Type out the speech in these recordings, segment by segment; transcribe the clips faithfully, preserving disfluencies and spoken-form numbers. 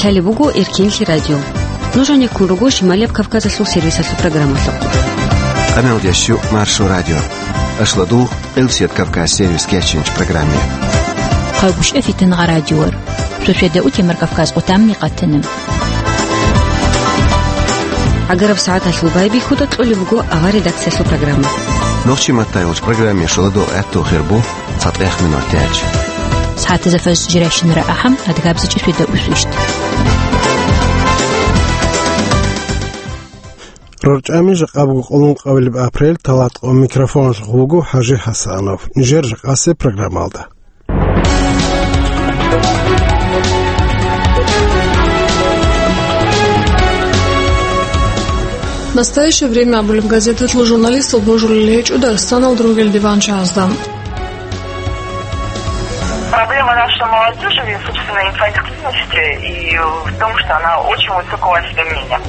Гьале буго Эркенлъи радио. Нуж гьанеккун руго Шималияб Кавказалъул сервисалъул программалъухъ. Къамел ящу Маршо радио. Ашладул Элсият Кавказ сервис кечинч программе. Хъагушев Фитнагъа радиор. Шошеда утемар Кавказ къутамни къатана. Агараб сагӀаталъул байбихьуда кьолеб буго авар редакциялъул программа. Нохчи маттайолч программе шуладо гӀатту хирбу. ЦатӀех минут тяч. СагӀатазда фаз жирайщинара ахӀам, адгабзичӀи шуйда усвищт. РорчӀами жакъа буго къоло ункъабилеб апрель, талат къо микрофоналъухъ вуго ХӀажи ХӀасанов. Нижер жакъасеб программалда. Настоящее время абулеб газеталъул журналистал божулел гьечӀо Дагъистаналда ругел диван чагӀазда. Проблема нашей молодежи, собственно, инфантильности и в том, что она очень высокого осведомления.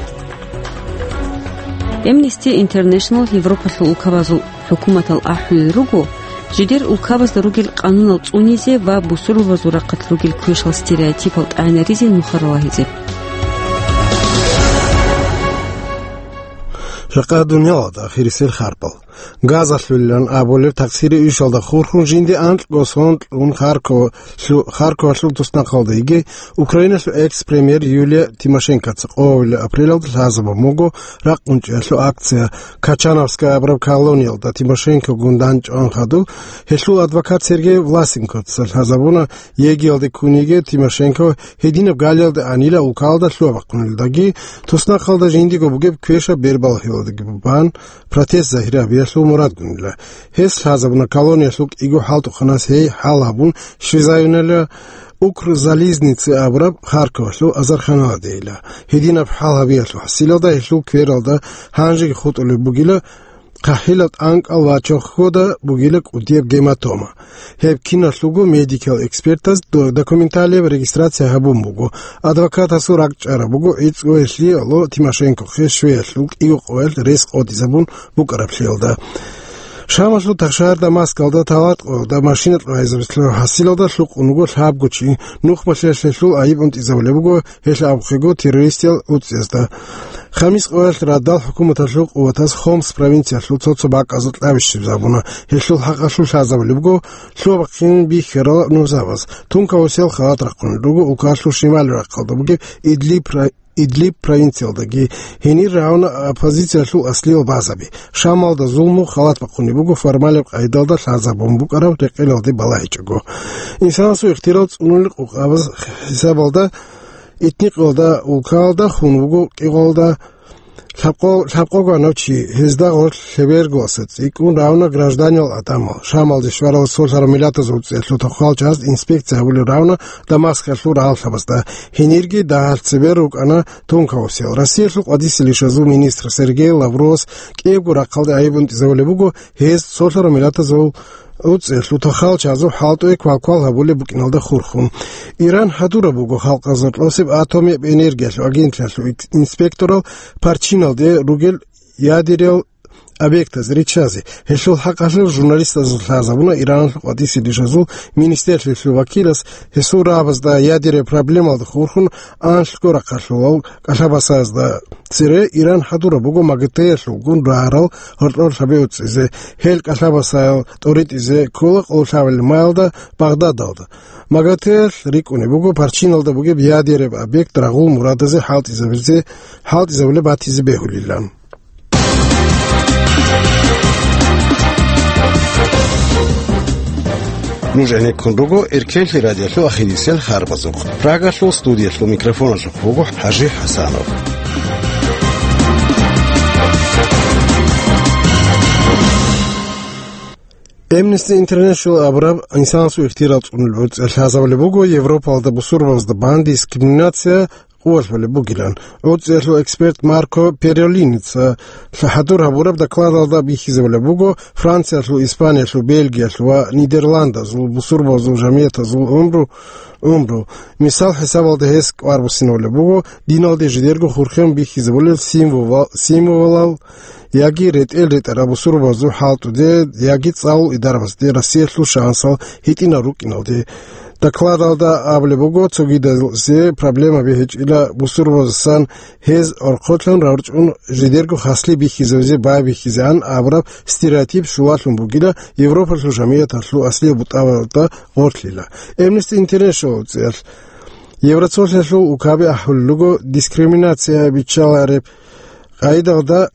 Amnesty International Европалъул улкабазул хӀукуматал ахӀулел руго, жидер улкабазда ругел къанунал цӀунизе ва бусурбабазул рахъалъ ругел квешал стереотипал тӀагӀинаризе нуха ралагьизе. Жакъа дуниялалда ахирисел харпал. Газалъулилан абулеб такъсири ишалда хурхун жинди анкьго сон кьун Харко-, лъу-, Харковалъул туснахъалда йиги Украиналъул экс-премьер Юлия Тимошенкоца къоабилеб апрелалда лъазабун буго ракъунчӀиялъул акция. Качановская абураб колониялда Тимошенкогун дандчӀван хадуб, гьелъул адвокат Сергей Власенкоца лъазабуна, ЕГИ-ялде ккун йиги Тимошенко гьединаб галиялда анила улкалда лъугьа-бахъунилдаги, туснахъалда жиндиго бугеб квешаб бербалъиялдаги бан, протест загьир гьабиялъул мурадгунила. Гьес лъазабуна колониялъул кӀиго хӀалтӀухъанас гьей хӀал гьабун щвезаюнила Укрзализница абураб Харковалъул азарханаладейила. Гьединаб хӀал гьабиялъул хӀасилалда гьелъул квералда гьанжеги хутӀулеб бугила хъахӀилал тӀанкӀал ва чохьода бугила кӀудияб гематома. Гьеб киналъулго медикал экспертаз до-, документалияб регистрация гьабун буго. Адвокатасул ракӀчӀараб буго гӀицӀго гьелъиялъул Тимошенкохъе щвеялъул кӀиго къоялъ рес къотӀизабун букӀараблъиялда. Шамалъул тахшагьар Дамаскалда талат къоялда машина кьвайзабилъун хӀасилалда лъукъун вуго лъабго чи. Нухмалъиялъ гьелъул айиб унтӀизабулеб буго, гьелъ абухъего террористиял гӀуцӀиязда. Хамис къоялъ радал хӀукуматалъул къуватаз Хомс провинциялъул цо-цо бакӀазул кьабищиб гьабуна. Гьелъул хӀакъалъулъ лъазабулеб буго лъугьа-бахъин бихьарал нузабаз. Тункаусел халат рахъун руго улкалъул шималил рахъалда бугеб Идлиб ра-, Идлиб провинциялдаги, гьенир равна оппозициялъул аслиял базаби. Шамалда зулму халат бахъунеб буго формалаб къайдалда лъазабун букӀараб рекъелалде балагьичӀого. Инсанасул ихтирал цӀунулел къукъабаз хӀисабалда Этникалда, улкалда хун вуго кӀикъоялда лъабкъо-, лъабкъого гьанав чи, гьезда гъорлъ лъебергоялъа цӀикӀкӀун равна гражданиял гӀадамал. Шамалде щварал солъарал миллатазул цӀехлъу тоххал чаз инспекция гьабулел равна Дамаскалъул рагьаллъабазда. Гьенирги дагьалъ цебе рукӀана тункаусел. Россиялъул къватӀисел ишазул министр Сергей Лавровас кӀиябго рахъалде айиб унтӀизабулеб буго гьез солъарал миллатазул гӀуцӀелъул тоххал чазул хӀалтӀуе квалквал гьабулеб букӀиналда хурхун. Иран хӀадураб буго халкъ азарлъосеб атомияб энергиялъул агенталъул ик-, инспекторал Парчиналде ругел ядерал объектаз риччазе. Гьелъул хӀакъалъулъ журналистазул лъазабуна Иранлъул къватӀисел ишазул министрлъиялъул вакилас, гьесул рагӀабазда ядерал проблемалда хурхун анлъго рахъалъулал кӀалъабасазда цере Иран хӀадураб буго МАГАТЭ-ялъулгун рагӀарал гьоркьор лъабе уцӀизе, гьел кӀалъабасаял тӀоритӀизе ккола къоло лъабабилеб маялда Багъдадалда. МАГАТЭ-ялъ рикӀкӀунеб буго Парчиналда бугеб ядераб объект рагъул мурадазе хӀалтӀизабизе, хӀалтӀизабулеб батизе бегьулилан. Нуж гӀенеккун руго Эркенлъи радиолъул ахирисел харбазухъ. Прагалъул студиялъул микрофоналъухъ вуго ХӀажи ХӀасанов. Amnesty International абураб инсанасул ихтияр цӀунулел гӀуцӀи лъазабулеб буго Европалда бусурбабазда бан дискриминация къувалъулеб бугилан. ГӀуцӀиялъул эксперт Марко Перолиница хӀадур гьабураб докладалда бихьизабулеб буго Франциялъул, Испаниялъул, Бельгиялъул ва Нидерландазул бусурбабазул жамиятазул гӀумру, гӀумру. Мисал хӀисабалда гьес кӀвар буссинабулеб буго диналде жидерго хурхен бихьизабулел символ-, символал яги ретӀел ретӀараб бусурбабазул хӀалтӀуде, яги цӀалул идарабазде Россиялъул шансал гьитӀинал рукӀиналде. Докладалда абулеб буго, цогидазе проблемаби гьечӀила бусурбабаздасан гьез орхъолъан рорчӀун жидерго хаслъи бихьизавизе байбихьизегӀан абураб стереотип щулалъун бугила Европалъул жамигӀаталъул аслияб бутӀабазда гъорлъила. Amnesty International цӀиялъ Евроцолъиялъул укаби ахӀулел руго, дискриминация биччалареб къайдалда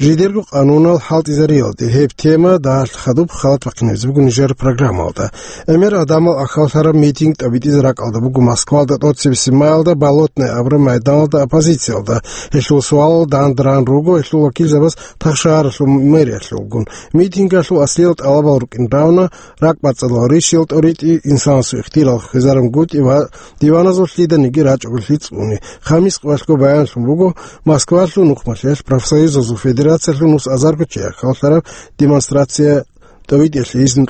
жидерго къанунал хӀалтӀизариялде гьеб тема дагьалъ хадуб халат бахъинабизе буго нижер программалда. ГӀемер гӀадамал ахӀваллъараб митинг тӀабитӀизе ракӀалда буго Москвалда тӀоцебесеб майалда Болотное абураб майданалда оппозициялда. Гьелъул суалал данде ран руго гьелъул вакилзабаз тахшагьаралъул мэриялъулгун. Митингалъул аслиял тӀалабал рукӀин равна: ракӀбацӀцӀадал ришиял тӀоритӀи, инсанасул ихтияр хвезарун гутӀи ва диваназул лъиданиги рачӀугӀлъи цӀуни. Хамис къоялъго баянлъун буго Москвалъул нухмалъиялъ профсоюзазул федерациялъул нус азарго чи ахӀваллъараб демонстрация тӀовитӀиялъе изну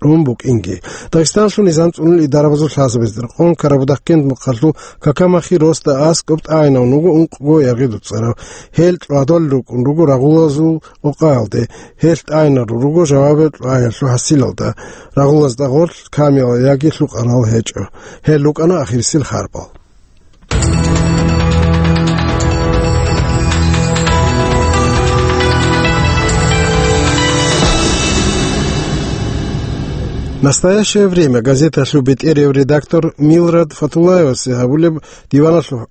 кьун букӀинги. Дагъистаналъул низам цӀунулел идарабазул лъазабазда рекъон Карабудахъкент мухъалъул Какамахи росда аскӀоб тӀагӀинавун вуго ункъго ягъи дуцӀарав. Гьел кьвадолел рукӀун руго рагъулазул къокъаялде. Гьел тӀагӀинарун руго жаваб кьваялъул хӀасилалда. Рагъулазда гъорлъ камиялъ яги лъукъарал гьечӀо. Гьел рукӀана ахирисел харбал. «Настоящее время» газеталъул бетӀерав редактор Милрад Фатуллаевасе гьабулеб диваналъул,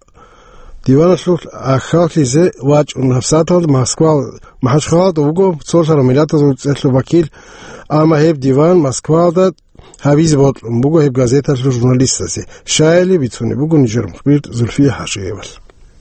диваналъул ахӀваллъизе вачӀун гьабсагӀаталда Москва, МахӀачхъалада вуго цолъарал миллатазул цӀехьлъул вакил, амма гьеб диван Москвалда гьабизе бокьун буго гьеб газеталъул журналистазе, щайили бицунеб буго нижер мухбир Зульфия ХӀажиевалъ.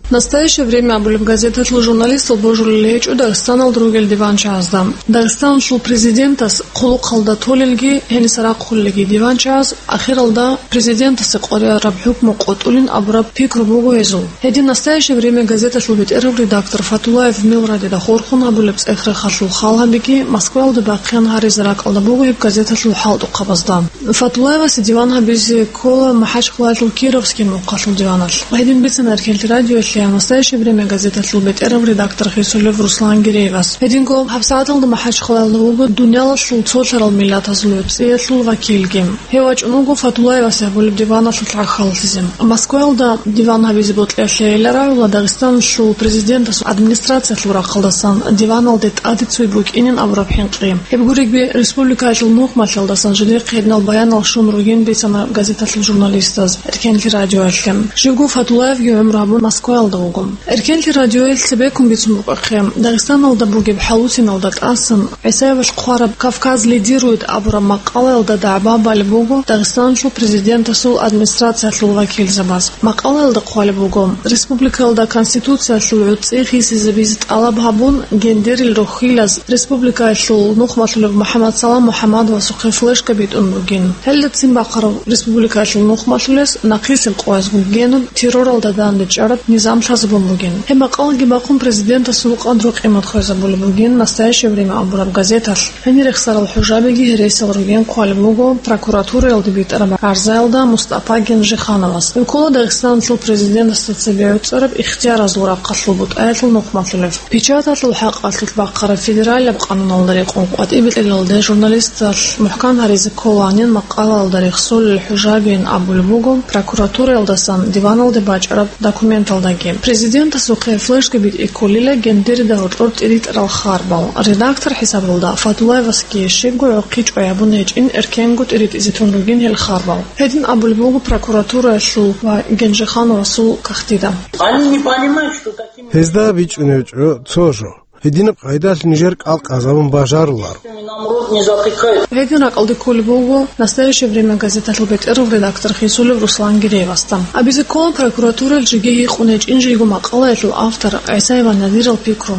«Настоящее время» абулеб газеталъул журналистал божулел гьечӀо Дагъистаналда ругел диванчагӀазда. Дагъистаналъул президентас хъулухъалда толелги, гьениса рахъулелги диванчагӀаз ахиралда президентасе къваригӀараб хӀукму къотӀулин абураб пикру буго гьезул. Гьедин «Настоящее время» газеталъул бетӀерав редактор Фатуллаев Милраде хурхун гьабулеб цӀех-рехалъул хал гьабиги, Москваялда бахъин гьаризе ракӀалда буго гьеб газеталъул хӀалтӀухъабазда. Фатуллаевасе диван гьабизе ккола МахӀачхъалаялъул Кировский мухъалъул диваналъ. Гьедин бицана Эркенлъи радиоялъе «Настоящее время» газеталъул бетӀерав редактор хисулев Руслан Гиреевас. Гьединго гьабсагӀаталда МахӀачхъалаялда вуго дуниялалъул цолъарал миллатазул гӀуцӀиялъул вакилги. Гьев вачӀун вуго Фатуллаевасе гьабулеб диваналъулъ гӀахьаллъизе. Москваялда диван гьабизе бокьиялъе гьелда рагӀула Дагъистаналъул президентасул администрациялъул рахъалдасан диваналде тӀаде цой букӀинин абураб хӀинкъи. Гьеб гуребги, республикаялъул нухмалъалдасан жидехъе гьединал баянал щун ругин бицана газеталъул журналистаз Эркенлъи радиоялъе. Живго Фатуллаевги гӀумру гьабун Москваялда вуго. Эркенлъи радиоялъ цебеккун бицун букӀахъе, Дагъистаналда бугеб хӀалуциналда тӀасан ГӀисаевалъ хъвараб «Кавказ лидирует» абураб макъалаялда дагӀба балеб буго Дагъистаналъул президентасул администрациялъул вакилзабаз. Макъалаялда хъвалеб буго: республикаялда Конституциялъул гӀуцӀи хисизабизе тӀалаб гьабун, гендерил рохьилаз республикаялъул нухмалъулев МухӀаммадсалам МухӀаммадовасухъе флешка битӀун бугин. Гьелдацин бахъарав республикаялъул нухмалъулес нахъисеб къоязго генуб терроралда дандечӀараб низам лъазабун бугин. Гьеб макъалаги бахъун президентасул къадру-къимат хвезабулеб бугин «Настоящее время» абураб газеталъ. Гьенир рехсарал хӀужабиги гьересиал ругин хъвалеб буго прокуратураялде битӀараб гӀарзаялда Мустапа Генжихановас. Гьев ккола Дагъистаналъул президентасда цебе гӀуцӀараб ихтияразул рахъалъул бутӀаялъул нухмалъулев. Печаталъул хӀакъалъулъ бахъараб федералияб къануналда рекъон къватӀибе кьелалде журналисталъ мухӀкан гьаризе кколанин макъалаялда рехсолел хӀужабиин абулеб буго прокуратураялдасан диваналде бачӀараб документалдаги. Президентасухъе флешка битӀи кколила гендерида гьоркьор тӀиритӀарал харбал. Редактор хӀисабалда Фатуллаевасги щибго гӀохъи чӀвай гьабун гьечӀин, эркенго тӀиритӀизе тун ругин гьел харбал. Гьедин абулеб буго прокуратураялъул ва Генжихановасул кагътида. Они не понимают, что такими... Гьезда бичӀчӀунеб гьечӀо цо жо. Гьединаб къайдалъ нижер кӀал къазабун бажаруларо. Нам рот не затыкают. Гьедин ракӀалде кколеб буго «Настоящее время» газеталъул бетӀерав редактор хисулев Руслан Гиреевасда. Абизе ккола, прокуратуралъ жеги гьикъун гьечӀин жийго макъалаялъул автор ГӀисаева Надирал пикру.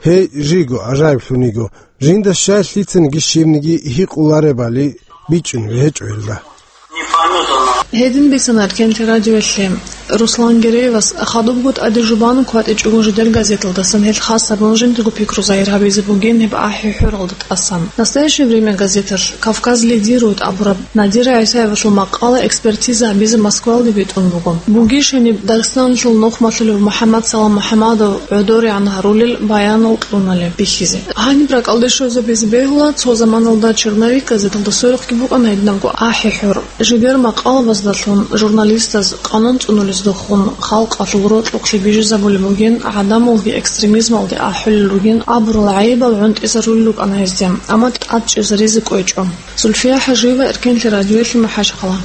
Гьей, жийго гӀажаиблъун йиго. Жинда щай лъицаниги щибниги гьикъуларебали бичӀчӀунеб гьечӀо гьелда. Гьедин бицана Эркенлъи радиоялъе. Руслан Гереевас хадубго тӀаде жубан кватӀичӀого жидер газеталдасан гьел хас гьабун жиндирго пикру загьир гьабизе бугин гьеб АхӀи-ХӀуралда тӀасан. «Настоящее время» газеталъ «Кавказ лидирует» абураб Надира ГӀисаевалъул макъала экспертиза гьабизе Москвалде битӀун буго. Бугищ гьениб Дагъистаналъул нухмалъулев МухӀаммад Салам МухӀаммадов гӀодорегӀан гьарулел баянал кьуналеб бихьизе. Гьаниб ракӀалде щвезабизе бегьула, цо заманалда «Черновик» газеталда сверухъги букӀана гьединабго АхӀи-ХӀур. Жидер макъалабаздалъун журналистаз къанун цӀунулездухун халкъалъул рокьухълъи бижизабулеб бугин, гӀадамалги экстремизмалде ахӀулел ругин абурал гӀайибал гӀунтӀизарулел рукӀана гьезде, амма тӀад чӀезаризе кӀвечӀо. Зульфия ХӀажиева, Эркенлъи радиоялъе, МахӀачхъала.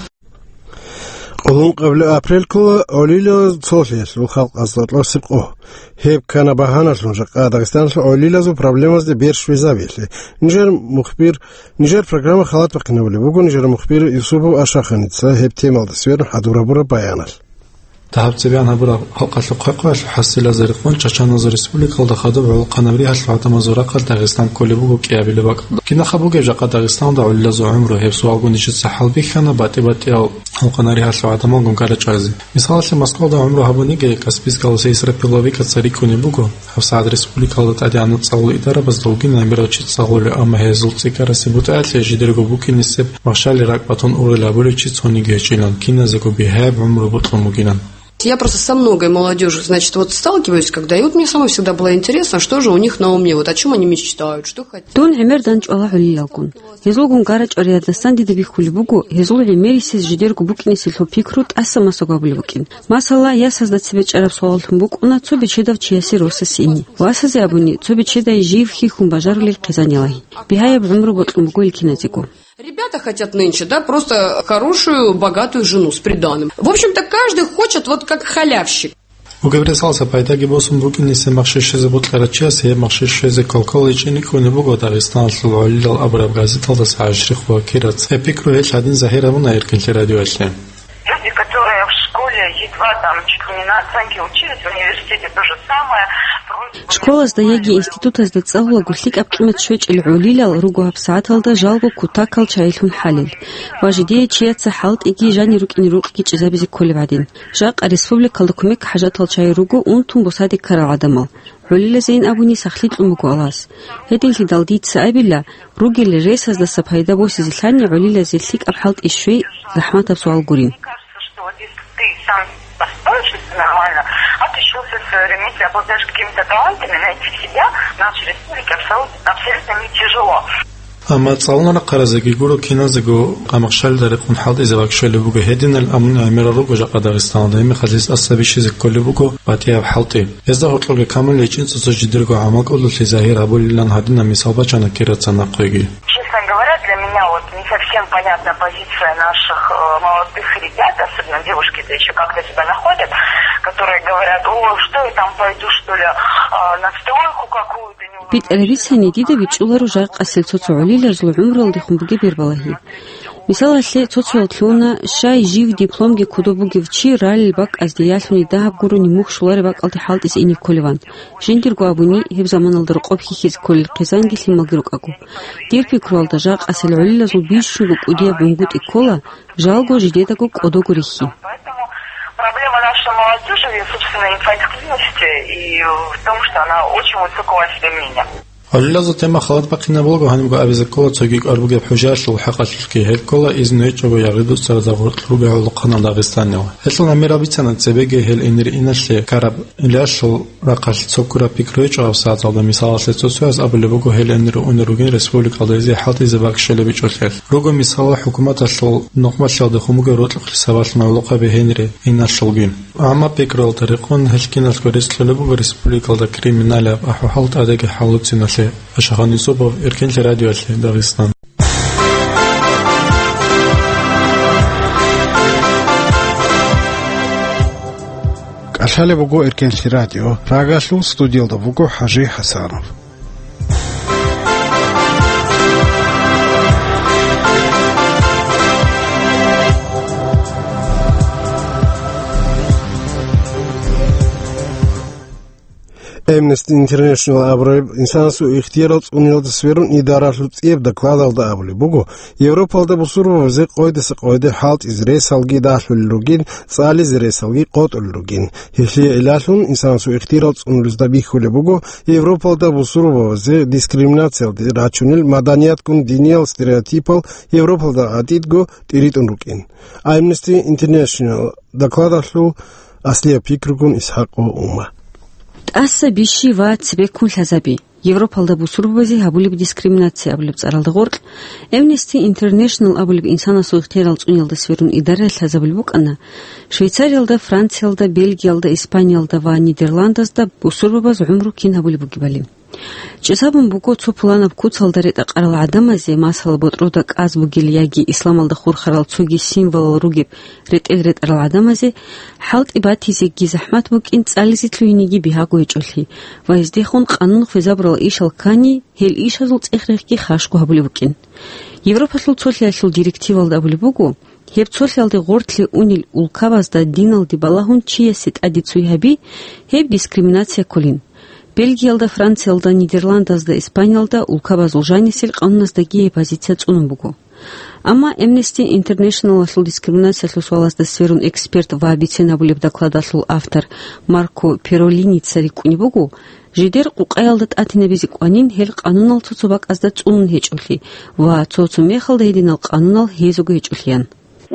Къулун къабли апрель ккола гӀолилал цолъиялъул халкъазда кьосеб къо. Гьеб ккана багьаналъун жакъа Дагъистаналъул гӀолилазул проблемазде бер щвезабиялъе. Нижер мухбир, нижер программа халат бахъинабулеб буго нижер мухбир Юсупов Ашаханица гьеб темалда сверун хӀадур гьабураб баяналъ. Дагьаб цебегӀан гьабураб халкъалъул хъвай-хъваялъул хӀасилазе рекъон чачаназул республикалда хадуб гӀолохъанаб ригьалъул гӀадамазул рахъалъ Дагъистан кколеб буго кӀиабилеб бакӀалда. Кинаха бугеб жакъа Дагъистанда гӀолилазул гӀумру? Гьеб суалгун нижеца хӀалбихьана батӀи-батӀиял гӀолохъанаб ригьалъул гӀадамалгун гара чӀвазе. Мисалалъе, Москвалда гӀумру гьабуниги Каспийскаласа Исрапил Лавикаца рикӀкӀунеб буго. ГьабсагӀат республикалда тӀадегӀанаб цӀалул идарабазда вугин гӀемерал чи цӀалулел, амма гьезул цӀикӀкӀарасе бутӀаялъе жидерго букӀинисеб махщалил ракӀ батун ургъел абулев чи цониги гьечӀилан, киназего бигьаяб гӀумру бокьун бугилан. Я просто со многой молодёжью, значит, вот сталкиваюсь, когда, и вот мне самой всегда было интересно, что же у них на уме, вот о чём они мечтают, что хотят. Дун гӀемер данчӀвала гӀолилалгун. Гьезулгун гара чӀвариялдасан дида бихьулеб буго, гьезул гӀемерисез жидерго букӀинесеб пикру тӀаса-масаго гьабулеб букӀин. Масала, ясазда цебе чӀараб суаллъун букӀуна цо бечедав чиясе росасе ине. Васазе абуни, цо бечедае жив хьихьун бажарулел хъизан ялагьи. Бигьаяб гӀумру бокьун буго ил киназего. Ребята хотят нынче, да, просто хорошую, богатую жену с приданым. В общем-то, каждый хочет вот как халявщик. Бугеб ресалса пайдаги босун букӀинисеб махщел щвезе бокьарав чиясе гьеб махщел щвезе квалквал гьечӀин рикӀкӀунеб буго Дагъистаналъул гӀолилал абураб газеталдаса ГӀашрихъ Бакираца. Гьеб пикру гьелъ гьадин загьир гьабуна Эркенлъи радиоялъе. Люди, которые в школе едва там чуть ли не на оценке учились, в университете то же самое. Школазда яги институтазда цӀалулаго лъикӀаб къимат щвечӀел гӀолилал руго гьабсагӀаталда жалго кутакал чайилъун хӀалел ва жидее чияца хӀалтӀиги жанир рукӀине рукъги чӀезабизе кколеб гӀадин. Жакъа республикалда кумек хӀажатал чайи руго унтун бусаде ккарал гӀадамал. ГӀолилазейин абуни сахлъи кьун буго Аллагьас. Гьединлъидал дица абила, ругел ресаздаса пайда босизелъани гӀолилазе лъикӀаб хӀалтӀи щвей захӀматаб суал гурин. Мне кажется, что вот если ты сам построишься нормально, отличился в своём ремесле, обладаешь какими-то талантами, найти себя в нашей республике абсолютно, абсолютно не тяжело. Амма цӀалун рахъаразеги гуро киназего къамахщалида рекъон хӀалтӀизе вакшалеб буго гьединал, амма гӀемерал руго жакъа Дагъистаналда, гьебмехалъ гьез тӀаса бищизе кколеб буго батӀияб хӀалтӀи. Гьезда гьоркьоги камулей чӀинцӀуса жидерго гӀамал кьолелъи загьир гьабулилан гьадинаб мисал бачана Кирацан нахъеги. Честно говоря, для меня вот не совсем понятна позиция наших, э, молодых ребят, особенно девушки-то ещё как-то себя находят, которые говорят: «О, что я там пойду, что ли, а, на стройку какую-то?» БитӀараб бицани, дида бичӀчӀуларо жакъасел цо-цо гӀолилазул гӀумруялдехун бугеб бербалагьи. Мисалалъе, цо-цоял лъугьуна, щай жив дипломги кодоб бугев чи ралел бакӀазде ялъуни дагьаб гурони мухь щолареб бакӀалде хӀалтӀизе ине кколеван. Жиндирго абуни, гьеб заманалда рокъоб хьихьизе кколел хъизанги лъималги рукӀаго. Дир пикруялда, жакъасел гӀолилазул бищунго кӀудияб гӀунгутӀи ккола, жалго жидедаго кӀодого рихьи. Поэтому проблема нашей молодёжи в её собственной инфантильности и в том, что она очень высокого о себе мнения. ГӀолилазул тема халат бахъинаб буго, гьанибго абизе ккола цоги кӀвар бугеб хӀужаялъул хӀакъалъулъги, гьеб ккола изну гьечӀого ягъи-дуцаразда гъоркь ругел гӀолохъанал Дагъистанил. Гьелъул гӀемерал бицана цебеги гьел энире-иналъе ккараб илалъул рахъалъ цо ккураб пикру гьечӀо гьабсагӀаталда. Мисалалъе, цо-цояз абулеб буго гьел энире унел ругин республикалда гьезие хӀалтӀизе бакӀ щолеб гьечӀолъиялъ. Руго, мисалалъ, хӀукуматалъул нухмалъиялдехун бугеб рокьухълъи сабаблъун гӀолохъаби гьенире-иналъулгин. Амма пикруялда рекъон гьел киналго рес кьолеб буго республикалда криминалияб ахӀвал тӀадеги хӀалуциналъе. Ашахан Юсупов, Эркенлъи радиоялъе, Дагъистан. КӀалъалеб буго Эркенлъи радио. Прагалъул студиялда вуго ХӀажи ХӀасанов. Amnesty International абураб инсанасул ихтиярал цӀуниялда сверун идаралъул цӀияб докладалда абулеб буго, Европалда бусурбабазе къойдаса къойде хӀалтӀизе ресалги дагьлъулел ругин, цӀализе ресалги къотӀулел ругин. Гьелъие гӀиллалъун инсанасул ихтиярал цӀунулезда бихьулеб буго Европалда бусурбабазе дискриминациялде рачунел маданиятгун диниял стереотипал Европалда гӀатӀидго тӀиритӀун рукӀин. Amnesty International докладалъул аслияб пикругун Исхакъ ва Ума. ТӀаса бищи ва цебеккун лъазаби. Европалда бусурбабазе гьабулеб дискриминация абулеб цӀаралда гъоркь, Amnesty International абулеб инсанасул ихтиярал цӀуниялда сверун идаралъ лъазабулеб букӀана Швейцариялда, Франциялда, Бельгиялда, Испаниялда ва Нидерландазда бусурбабаз гӀумру кин гьабулеб бугебали. ЧӀезабун буго цо пуланаб куцалда ретӀа-къарал гӀадамазе, масала, ботӀрода кӀаз бугел яги исламалда хурхарал цоги символал ругеб ретӀел ретӀарал гӀадамазе, хӀалтӀи батизеги захӀмат букӀин, цӀализе лъугьинеги бигьаго гьечӀолъи ва гьездехун къанун хвезабурал ишал ккани, гьел ишазул цӀех-рехги хашго гьабулеб букӀин. Европалъул цолъиялъул директивалда абулеб буго, гьеб цолъиялде гъорлъе унел улкабазда диналде балагьун чиясе тӀаде цой гьаби, гьеб дискриминация кколин. Бельгиялда, Франциялда, Нидерландазда, Испаниялда улкабазул жанисел къануназдаги гьеб позиция цӀунун буго. Амма Amnesty International-алъул дискриминациялъул суалазда сверун эксперт ва бицен гьабулеб докладалъул автор Марко Перолиница рикӀкӀунеб буго, жидер къукъаялда тӀатинабизе кӀванин гьел къанунал цо-цо бакӀазда цӀунун гьечӀолъи ва цо-цо мехалда гьединал къанунал гьезего гьечӀолъиян.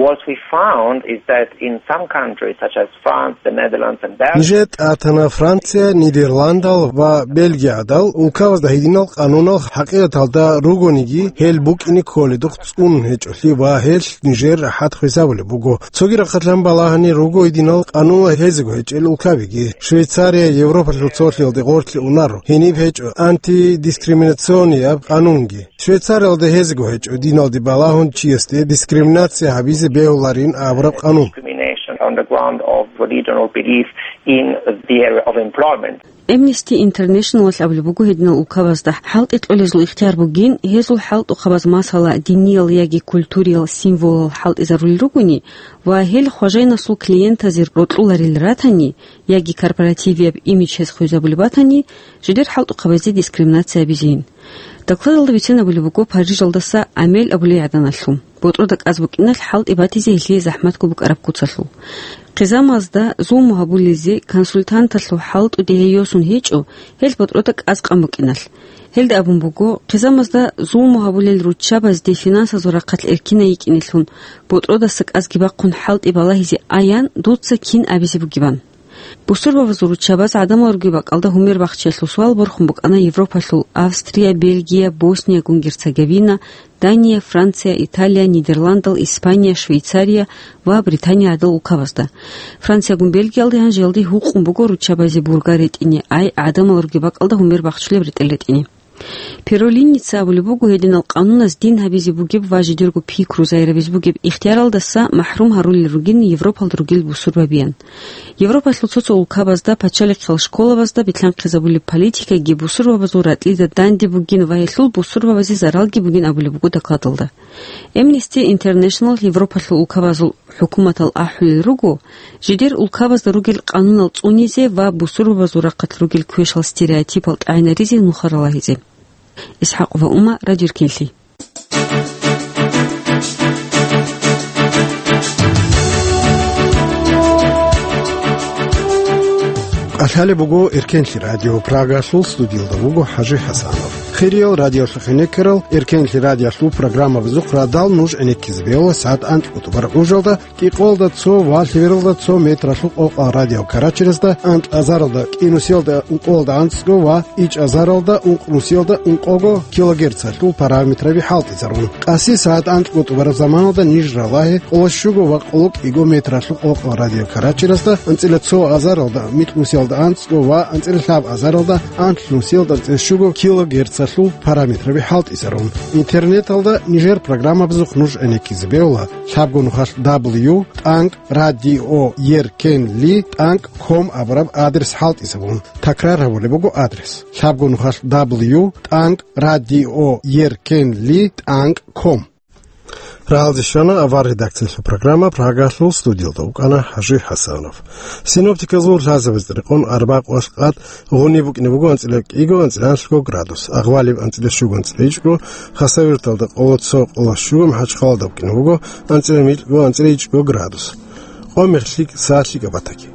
What we found is that in some countries, such as France, the Netherlands and Belgium, Нижер тӀатана Франция, Нидерландал ва Бельгиядал улкабазда гьединал къанунал хӀакъикъаталда ругониги, гьел букӀине кколедухъ цӀунун гьечӀолъи ва гьелъ нижер рахӀат хвезабулеб буго. Цоги рахъалъан балагьани руго гьединал къанунал гьезего гьечӀел улкабиги. Швейцария Европалъул цолъиялде гъорлъе унаро, гьениб гьечӀо антидискриминационияб къанунги. Швейцариялда гьезего гьечӀо диналде балагьун чиясде дискриминация гьабизе бегьуларин абураб къанун. Discrimination on the ground of religion or belief in the area of employment. Amnesty International-алъ абулеб буго гьединал улкабазда хӀалтӀи кьолезул ихтияр бугин, гьезул хӀалтӀухъабаз, масала, диниял яги культуриял символал хӀалтӀизарулел ругони ва гьел хважайнасул клиентазе рокьуларел ратани яги корпоративияб имидж гьез хвезабулеб батани, жидер хӀалтӀухъабазде дискриминация гьабизейин. Докладалда бицен абулеб буго Парижалдаса Амель абулей гӀаданалъул, ботӀрода кӀаз букӀиналъ хӀалтӀи батизе гьелъие захӀматго букӀараб куцалъул. Хъизамазда зулму гьабулезе консультанталъул хӀалтӀуде гьей йосун гьечӀо, гьел ботӀрода кӀаз къан букӀиналъ. Гьелда абун буго, хъизамазда зулму гьабулел руччабазде финансазул рахъалъ эркинай йикӀинелъун, ботӀродаса кӀазги бахъун хӀалтӀи балагьизе аян, дуца кин абизе бугебан. Бусурбабазул руччабаз гӀадамал ругеб бакӀалда гьумер бахчиялъул суал борхун букӀана Европалъул Австрия, Бельгия, Босния-Герцеговина, Дания, Франция, Италия, Нидерландал, Испания, Швейцария ва Британия гӀадал улкабазда. Франциягун Бельгиялде гьанжеялде гьукъун буго руччабазе бургар ретӀине, ай гӀадамал ругеб бакӀалда гьумер бахчулеб ретӀел ретӀине. Перолиница абулеб буго, гьединал къануназ дин гьабизе бугеб ва жидерго пикру загьирабизе бугеб ихтияралдаса махӀрум гьарулел ругин Европалда ругел бусурбабиян. Европалъул цо-цо улкабазда, пачалихъал школабазда бетӀлъанхъизабулеб политикаги бусурбабазул ракьида данде бугин ва гьелъул бусурбабазе заралги бугин абулеб буго докладалда. Amnesty International Европалъул улкабазул хӀукуматал ахӀулел руго, жидер улкабазда ругел къанунал цӀунизе ва бусурбабазул рахъалъ ругел квешал стереотипал тӀагӀинаризе нухал ралагьизе. Исхакъ ва Ума, Радио Эркенлъи. Къалъалеб буго Эркенлъи радио, Прагалъул студиялда вуго ХӀажи ХӀасанов. Хириял радиолъухъ гӀенеккарал, Эркенлъи радиолъул программабазухъ радал нуж гӀенеккизе бегьула сагӀат анкьго тӀубараб гӀужалда, кӀикъоялда цо ва лъебералда цо метралъул къокъал радиокарачерасда, анкь азаралда кӀинусиялда ункъоялда анцӀго ва ичӀ азаралда ункънусиялда ункъого килогерцалъул параметраби хӀалтӀизарун. Къаси сагӀат анкьго тӀубараб заманалда ниж ралагье къоло щуго ва къоло кӀиго метралъул къокъал радиокарачерасда, анцӀила цо азаралда микьнусиялда анцӀго ва анцӀила лъаб азаралда анлънусиялда анцӀила щуго килогерцалъул параметраби хӀалтӀизарун. Интернеталда нижер программабазухъ нуж гӀенеккизе бегьула лъабго нухалъ дабл ю тӀанкӀ радио еркенли тӀанкӀ ком абураб адрес хӀалтӀизабун. Такрар гьабулеб буго адрес: лъабго нухалъ дабл ю тӀанкӀ радио еркенли тӀанкӀ ком. Прагьалде щвана авар редакциялъул программа, Прагалъул студиялда вукӀана ХӀажи ХӀасанов. Синоптиказул лъазабазда рекъон, арбакъ ва къад гъуниб букӀине буго анцӀила кӀиго, анцӀила гӀанлъго градус, агъвалиб анцӀила щуго, анцӀила ичӀго, Хасавюрталда къоло цо, къоло щуго, МахӀачхъалада букӀине буго анцӀила микьго, анцӀила ичӀго градус. Къо-мех лъикӀ, са лъикӀаб батаги.